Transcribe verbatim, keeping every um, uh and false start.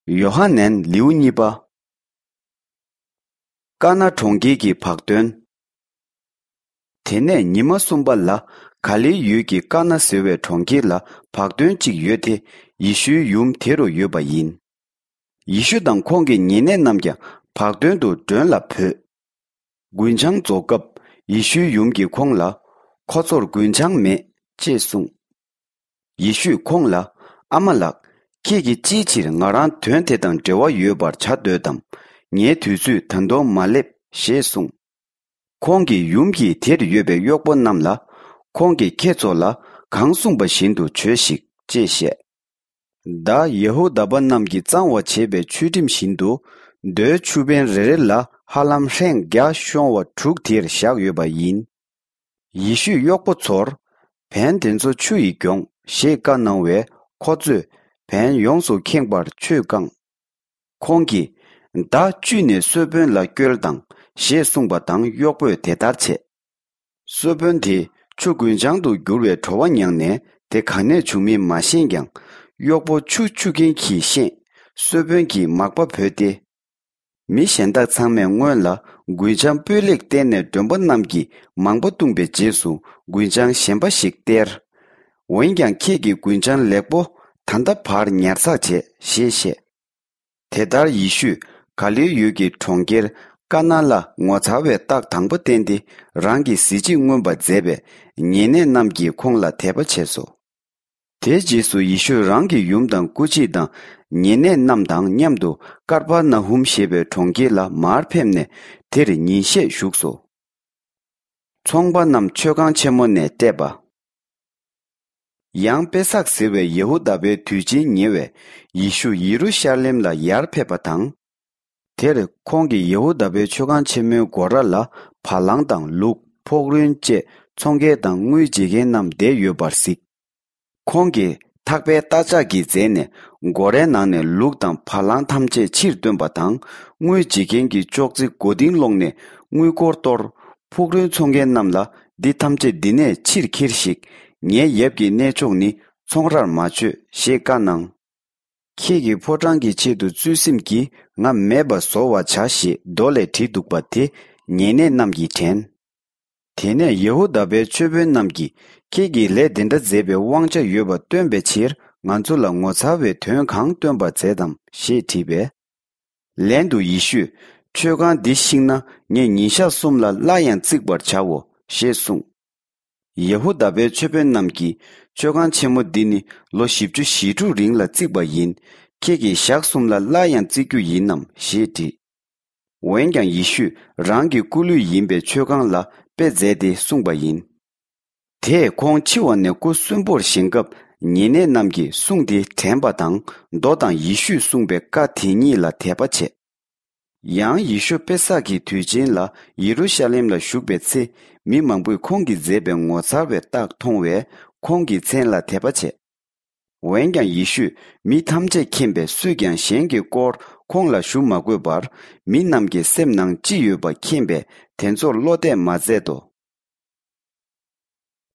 ཡོ་ཧ་ནན་ལེའུ་གཉིས་པ། ཀ་ན་གྲོང་ཁྱེར་གྱི་བག་སྟོན། དེ་ནས་ཉི་མ་གསུམ་པ་ལ་ག་ལིལ་ཡུལ་གྱི་ཀ་ན་ཟེར་བའི་གྲོང་ཁྱེར་ལ་བག་སྟོན་གཅིག་ཡོད་དེ། ཡེ་ཤུའི་ཡུམ་དེ་རུ་ཡོད་པ་ཡིན། ཡེ་ཤུ་དང་ཁོང་གི་ཉེ་གནས་རྣམས་ཀྱང་བག་སྟོན་དུ་མགྲོན་ལ་བོས། རྒུན་ཆང་རྫོགས་སྐབས་ཡེ་ཤུའི་ཡུམ་གྱིས་ཁོང་ལ། ཁོ་ཚོར་རྒུན་ཆང་མེད་ཅེས་གསུངས། ཡེ་ཤུས་ཁོང་ལ། ཨ་མ་ལགས། ཁྱེད་ཀྱིས་ཅིའི་ཕྱིར་ང་རང་དོན་དེ་དང་འབྲེལ་བ་ཡོད་པར་བྱ་འདོད་དམ། ངའི་དུས་ཚོད་ད་དུང་མ་སླེབས་ཞེས་གསུངས། ཁོང་གི་ཡུམ་གྱིས་དེར་ཡོད་པའི་གཡོག་པོ་རྣམས་ལ། ཁོང་གིས་ཁྱེད་ཚོ་ལ་གང་གསུངས་པ་བཞིན་དུ་བྱོས་ཤིག་ཅེས་བཤད། ད་ཡ་ཧུ་དཱ་པ་རྣམས་ཀྱིས་གཙང་བ་བྱེད་པའི་ཆུ་ཁྲིམས་བཞིན་དུ། རྡོའི་ཆུ་བེང་རེ་རེ་ལ་ཧ་ལམ་ཧྲེང་བརྒྱ་ཤོང་བ་དྲུག་དེར་བཞག་ཡོད་པ་ཡིན། ཡེ་ཤུས་གཡོག་པོ་ཚོར། བན་དེ་ཚོ་ཆུ་ཡིས་གྱོངས་ཞེས་བཀའ་གནང་བས། ཁོ་ཚོས་བན་ཡོངས་སུ་ཁེངས་པར་ཆུས་བཀང་། ཁོང་གིས། ད་བཅུད་ནས་གསོལ་དཔོན་ལ་སྐྱོལ་དང་ཞེས་གསུངས་པ་དང་། གཡོག་པོས་དེ་ལྟར་བྱས། གསོལ་དཔོན་དེས་ཆུ་རྒུན་ཆང་དུ་བསྒྱུར་བའི་བྲོ་བ་མྱངས་ནས། དེ་ག་ནས་བྱུང་མིན་མ་ཤེས་ཀྱང་། གཡོག་པོ་ཆུ་བཅུ་མཁན་གྱིས་ཤེས། གསོལ་དཔོན་གྱིས་མག་པ་བོས་ཏེ། མི་གཞན་དག་ཚང་མས་སྔོན་ལ་རྒུན་ཆང་སྤུས་ལེགས་བསྟེར་ནས་མགྲོན་པོ་རྣམས་ཀྱིས་མང་པོ་བཏུངས་པའི་རྗེས་སུ། རྒུན་ཆང་གཞན་པ་ཞིག་སྟེར། འོན་ཀྱང་ཁྱེད་ཀྱིས་རྒུན་ཆང་ལེགས་པོ་ད་ལྟ་བར་ཉར་ཚགས་བྱས་ཞེས་བཤད། དེ་ལྟར་ཡེ་ཤུས་ག་ལིལ་ཡུལ་གྱི་གྲོང་ཁྱེར་ཀ་ན་ལ་ངོ་མཚར་བའི་རྟགས་དང་པོ་བསྟན་ཏེ། རང་གི་གཟི་བརྗིད་མངོན་པར་མཛད་པས། ཉེ་གནས་རྣམས་ཀྱིས་ཁོང་ལ་དད་པ་བྱས་སོ། དེའི་རྗེས་སུ་ཡེ་ཤུ་རང་གི་ཡུམ་དང་སྐུ་མཆེད་དང་ཉེ་གནས་རྣམས་དང་མཉམ་དུ་ཀར་པར་ན་ཧུམ་ཞེས་པའི་གྲོང་ཁྱེར་ལ་མར་ཕེབས་ནས། དེར་ཉིན་ཤས་བཞུགས་སོ། ཚོང་པ་རྣམས་མཆོད་ཁང་ཆེན་མོ་ནས་བལྟས་པ། ཡང་པེ་སག་ཟེར་བའི་ཡ་ཧུ་དཱ་པའི་དུས་ཆེན་ཉེ་བས། ཡེ་ཤུ་ཡེ་རུ་ཤ་ལེམ་ལ་ཡར་ཕེབས་པ་དང་། དེར་ཁོང་གིས་ཡ་ཧུ་དཱ་པའི་མཆོད་ཁང་ཆེན་མོའི་སྒོ་ར་ལ་བ་ལང་དང་ལུག། ཕོག་རོན་བཅས་ཚོང་མཁན་དང་དངུལ་བརྗེ་མཁན་རྣམས་བསྡད་ཡོད་པར་གཟིགས། ཁོང་གིས་ཐག་པས་རྟ་ལྕག་གིས་འཛེགས་ནས། སྒོ་རའི་ནང་ནས་ལུག་དང་བ་ལང་ཐམས་ཅད་ཕྱིར་བཏོན་པ་དང་། དངུལ་བརྗེ་མཁན་གྱི་ཅོག་ཙེ་མགོ་རྟིང་སློང་ནས། དངུལ་སྒོར་གཏོར། ཕུག་རོན་འཚོང་མཁན་རྣམས་ལ། འདི་ཐམས་ཅད་འདི་ནས་ཕྱིར་ཁྱེར་ཞིག་ངའི་ཡབ་ཀྱི་གནས་མཆོག་ནི་ཚོང་རར་མ་བྱོས་ཞེས་བཀའ་གནང་། ཁྱེད་ཀྱི་ཕོ་བྲང་གི་ཆེད་དུ་བརྩོན་སེམས་ཀྱིས་ང་མེད་པར་བཟོ་བར་བྱ་ཞེས་མདོ་ལས་བྲིས་འདུག་པ་དེ་ཉེ་གནས་རྣམས་ཀྱིས་དྲན། དེ་ནས་ཡ་ཧུ་དཱ་པའི་ཆོས་དཔོན་རྣམས་ཀྱིས། ཁྱེད་ཀྱིས་ལས་འདི་འདྲ་མཛད་པའི་དབང་ཆ་ཡོད་པ་སྟོན་པའི་ཕྱིར། ང་ཚོ་ལ་ངོ་མཚར་བའི་དོན་གང་སྟོན་པར་མཛད་དམ་ཞེས་དྲིས་པས། ལན་དུ་ཡེ་ཤུས། མཆོད་ཁང་འདི་བཤིག་ན་ངས་ཉིན་ཞག་གསུམ་ལ་སླར་ཡང་བརྩིག་པར་བྱའོ་ཞེས་གསུངས། ཡ་ཧུ་དཱ་པའི་ཆོས་དཔོན་རྣམས་ཀྱིས། མཆོད་ཁང་ཆེན་མོ་འདི་ནི་ལོ་བཞི་བཅུ་ཞེ་དྲུག་རིང་ལ་བརྩིགས་པ་ཡིན། ཁྱེད་ཀྱིས་ཞག་གསུམ་ལ་སླར་ཡང་བརྩིག་རྒྱུ་ཡིན་ནམ་ཞེས་དྲིས། འོན་ཀྱང་ཡེ་ཤུས་རང་གི་སྐུ་ལུས་ཡིན་པའི་མཆོད་ཁང་ལ་དཔེ་མཛད་དེ་གསུངས་པ་ཡིན། དེས་ཁོང་འཆི་བ་ནས་སྐུ་གསོན་པོར་བཞེངས་སྐབས། ཉེ་གནས་རྣམས་ཀྱིས་གསུང་དེ་དྲན་པ་དང་། མདོ་དང་ཡེ་ཤུས་གསུངས་པའི་བཀའ་དེ་ཉིད་ལ་དད་པ་བྱས། ཡང་ཡེ་ཤུ་པེ་སག་གི་དུས་ཆེན་ལ་ཡེ་རུ་ཤ་ལེམ་ལ་བཞུགས་པའི་ཚེ། མི་མང་པོས་ཁོང་གིས་མཛད་པའི་ངོ་མཚར་བའི་རྟགས་མཐོང་བས། ཁོང་གི་མཚན་ལ་དད་པ་བྱས། འོན་ཀྱང་ཡེ་ཤུས་མི་ཐམས་ཅད་མཁྱེན་པས། སུས་ཀྱང་གཞན་གྱི་སྐོར་ཁོང་ལ་ཞུ་མ་དགོས་པར། མི་རྣམས་ཀྱི་སེམས་ནང་ཅི་ཡོད་པ་མཁྱེན་པས། དེ་ཚོར་བློ་གཏད་མ་མཛད་དོ།